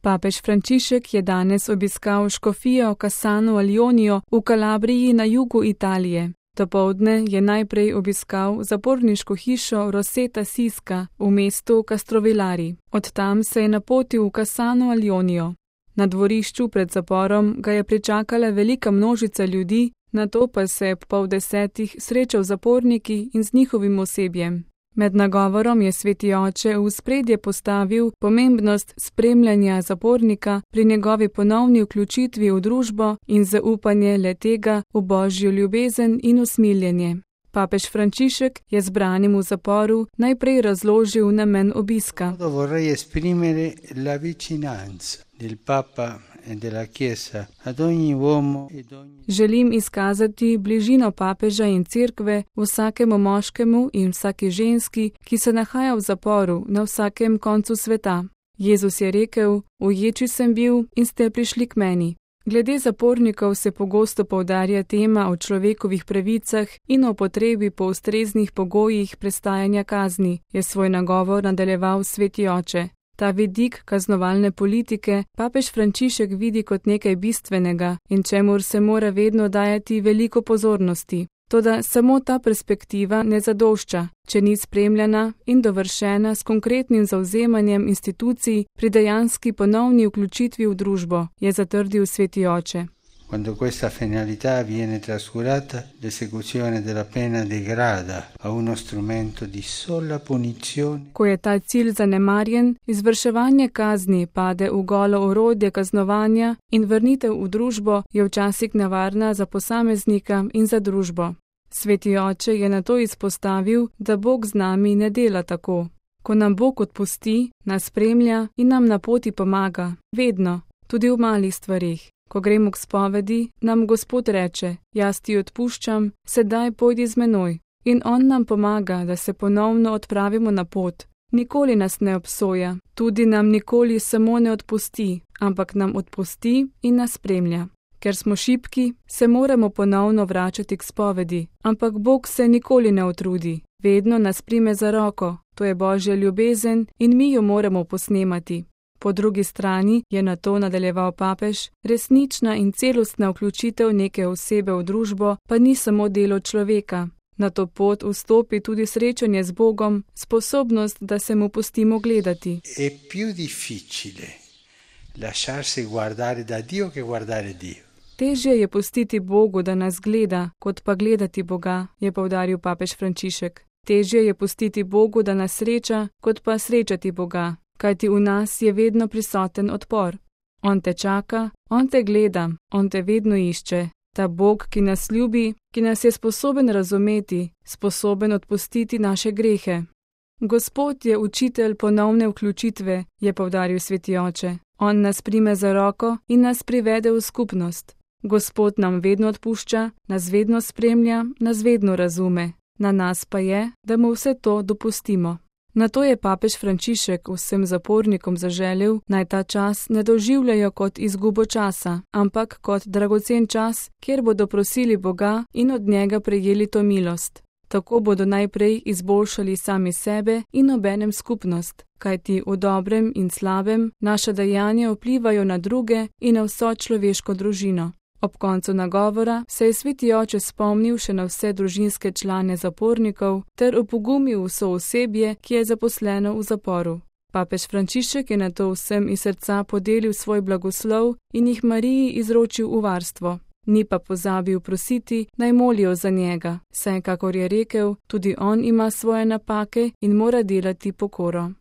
Papež Frančišek je danes obiskal škofijo Cassano al Ionio v Kalabriji na jugu Italije. Dopoldne je najprej obiskal zaporniško hišo Rosetta Siska v mestu Castrovillari. Od tam se je napotil v Cassano al Ionio. Na dvorišču pred zaporom ga je pričakala velika množica ljudi, nato pa se je ob 9:30 srečal z zaporniki in z njihovim osebjem. Med nagovorom je sveti oče v ospredje postavil pomembnost spremljanja zapornika pri njegovi ponovni vključitvi v družbo in zaupanje le-tega v božjo ljubezen in usmiljenje. Papež Frančišek je zbranim v zaporu najprej razložil namen obiska. Želim izkazati bližino papeža in cerkve vsakemu moškemu in vsaki ženski, ki se nahaja v zaporu na vsakem koncu sveta. Jezus je rekel: v ječi sem bil in ste prišli k meni. Glede zapornikov se pogosto poudarja tema o človekovih pravicah in o potrebi po ustreznih pogojih prestajanja kazni, je svoj nagovor nadaljeval sveti oče. Ta vidik kaznovalne politike papež Frančišek vidi kot nekaj bistvenega in čemur se mora vedno dajati veliko pozornosti. Toda samo ta perspektiva ne zadošča, če ni spremljena in dovršena s konkretnim zavzemanjem institucij pri dejanski ponovni vključitvi v družbo, je zatrdil sveti oče. Quando questa finalità viene trascurata, l'esecuzione della pena degrada a uno strumento di sola punizione. Ko je ta cilj zanemarjen, izvrševanje kazni pade v golo orodje kaznovanja in vrnitev v družbo je včasih nevarna za posameznika in za družbo. Sveti oče je nato izpostavil, da Bog z nami ne dela tako. Ko nam Bog odpusti, nas spremlja in nam na poti pomaga, vedno, tudi v malih stvarih. Ko gremo k spovedi, nam Gospod reče: jaz ti odpuščam, sedaj pojdi z menoj. In on nam pomaga, da se ponovno odpravimo na pot. Nikoli nas ne obsoja, tudi nam nikoli samo ne odpusti, ampak nam odpusti in nas spremlja. Ker smo šibki, se moramo ponovno vračati k spovedi, ampak Bog se nikoli ne utrudi. Vedno nas prime za roko, to je božja ljubezen in mi jo moramo posnemati. Po drugi strani, je nato nadaljeval papež, resnična in celostna vključitev neke osebe v družbo pa ni samo delo človeka. Na to pot vstopi tudi srečanje z Bogom, sposobnost, da se mu pustimo gledati. È più difficile lasciarsi guardare da Dio che guardare Dio. Težje je pustiti Bogu, da nas gleda, kot pa gledati Boga, je poudaril papež Frančišek. Težje je pustiti Bogu, da nas sreča, kot pa srečati Boga. Kajti v nas je vedno prisoten odpor. On te čaka, on te gleda, on te vedno išče. Ta Bog, ki nas ljubi, ki nas je sposoben razumeti, sposoben odpustiti naše grehe. Gospod je učitelj ponovne vključitve, je poudaril sveti oče. On nas prime za roko in nas privede v skupnost. Gospod nam vedno odpušča, nas vedno spremlja, nas vedno razume. Na nas pa je, da mu vse to dopustimo. Nato je papež Frančišek vsem zapornikom zaželel, naj ta čas ne doživljajo kot izgubo časa, ampak kot dragocen čas, kjer bodo prosili Boga in od njega prejeli to milost. Tako bodo najprej izboljšali sami sebe in obenem skupnost, kajti v dobrem in slabem naša dejanja vplivajo na druge in na vso človeško družino. Ob koncu nagovora se je sveti oče spomnil še na vse družinske člane zapornikov ter opogumil vso osebje, ki je zaposleno v zaporu. Papež Frančišek je nato vsem iz srca podelil svoj blagoslov in jih Mariji izročil v varstvo. Ni pa pozabil prositi, naj molijo za njega, saj, kakor je rekel, tudi on ima svoje napake in mora delati pokoro.